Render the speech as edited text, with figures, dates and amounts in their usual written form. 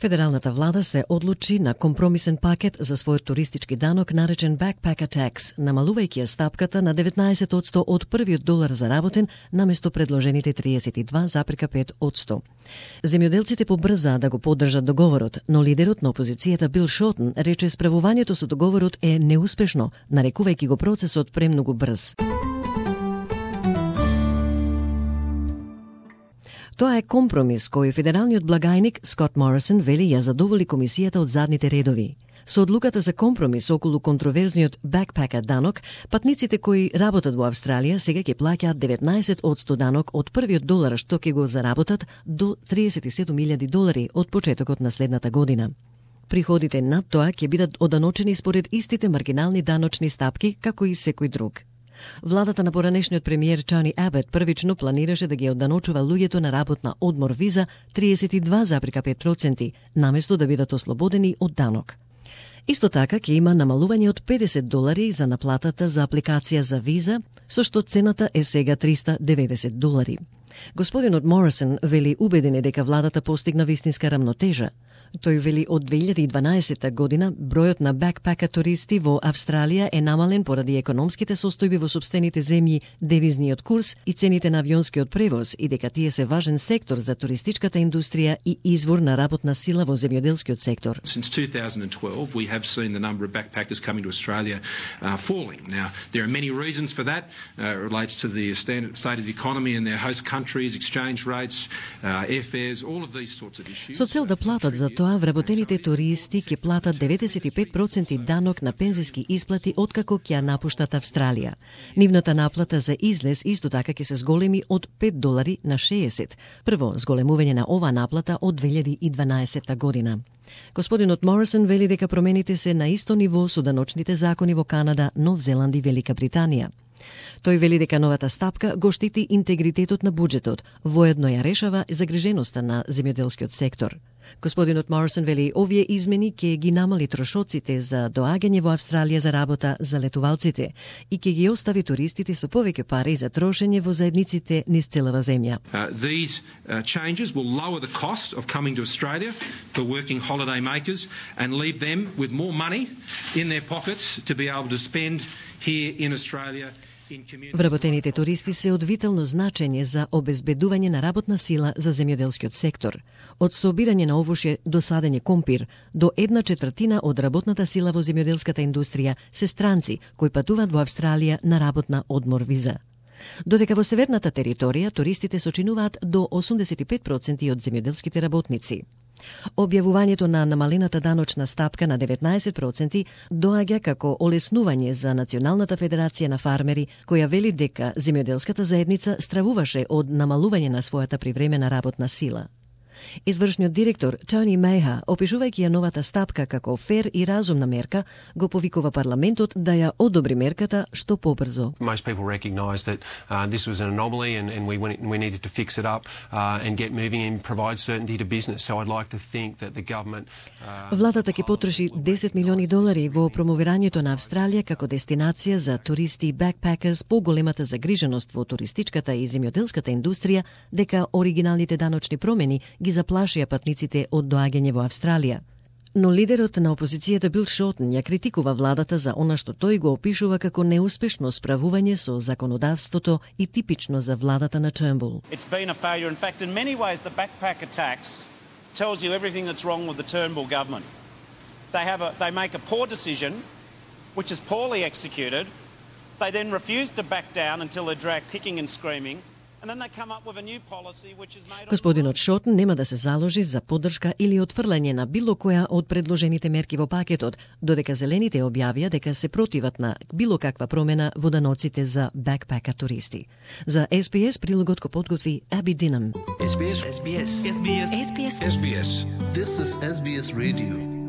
Федералната влада се одлучи на компромисен пакет за својот туристички данок наречен Backpacker Tax, намалувајќи ја стапката на 19% од првиот долар заработен наместо предложените 32,5%. Земјоделците побрзаа да го поддржат договорот, но лидерот на опозицијата Бил Шотен рече справувањето со договорот е неуспешно, нарекувајќи го процесот премногу брз. Тоа е компромис кој федералниот благајник Скот Морисон вели ја задоволи комисијата од задните редови. Со одлуката за компромис околу контроверзниот backpacker данок, патниците кои работат во Австралија сега ќе плаќаат 19% данок од првиот долар што ќе го заработат до $37,000 од почетокот на следната година. Приходите над тоа ќе бидат оданочени според истите маргинални даночни стапки како и секој друг. Владата на поранешниот премиер Тони Абот првично планираше да ги оданочува луѓето на работна одмор виза 32,5%, наместо да бидат ослободени од данок. Исто така ќе има намалување од $50 за наплатата за апликација за виза, со што цената е сега $390. Господинот Морисон вели убеден е дека владата постигна вистинска рамнотежа. Тој вели од 2012 година бројот на бакпака туристи во Австралија е намален поради економските состојби во сопствените земји, девизниот курс и цените на авионскиот превоз и дека тие се важен сектор за туристичката индустрија и извор на работна сила во земјоделскиот сектор. Since 2012 we have seen the number of backpackers coming to Australia falling. Now there are many reasons for that. It relates to the state of the economy in their host countries, exchange rates, airfares, all of these sorts of issues. Со цел да платат за тоа, вработените туристи ќе платат 95% данок на пензиски исплати откако ќе ја напуштат Австралија. Нивната наплата за излез исто така ќе се зголеми од $5 на 60. Прво зголемување на оваа наплата од 2012 година. Господинот Морисон вели дека промените се на исто ниво со даночните закони во Канада, Нов Зеланд и Велика Британија. Тој вели дека новата стапка го штити интегритетот на буџетот, воедно ја решава загриженоста на земјоделскиот сектор. Господинот Морисон вели овие измени ќе ги намали трошоците за доаѓање во Австралија за работа за летувалците и ќе ги остави туристите со повеќе пари за трошење во заедниците низ целава земја. These changes will lower the cost of coming to Australia for working holiday makers and leave them with more money in their pockets to be able to spend here in Australia. Вработените туристи се од витално значење за обезбедување на работна сила за земјоделскиот сектор. Од собирање на овошје до садење компир, до 1/4 од работната сила во земјоделската индустрија се странци кои патуваат во Австралија на работна одмор виза. Додека во северната територија туристите сочинуваат до 85% од земјоделските работници. Објавувањето на намалената даночна стапка на 19% доаѓа како олеснување за Националната федерација на фармери, која вели дека земјоделската заедница стравуваше од намалување на својата привремена работна сила. Извршниот директор Тони Мејха, опишувајќи ја новата стапка како фер и разумна мерка, го повикува парламентот да ја одобри мерката што побрзо. Most people recognise that this was an anomaly and we needed to fix it up and get moving and provide certainty to business. So I'd like to think that the government Владата ќе потроши $10 милиони во промовирањето на Австралија како дестинација за туристи и backpackers по големата загриженост во туристичката и земјоделската индустрија дека оригиналните даночни промени ги заплашија патниците од доаѓање во Австралија. Но лидерот на опозицијата Бил Шотен ја критикува владата за она што тој го опишува како неуспешно справување со законодавството и типично за владата на Turnbull. It's been a failure. In fact, in many ways, the backpacker tax tells you everything that's wrong with the Turnbull government. They make a poor decision, which is poorly executed. They then refuse to back down until they're dragged kicking and screaming. Господинот Шотен нема да се заложи за поддршка или отфрлање на било која од предложените мерки во пакетот, додека зелените објавија дека се противат на било каква промена во даноците за бакпака туристи. За SBS прилогот го подготви Аби Динам. SBS. This is SBS Radio.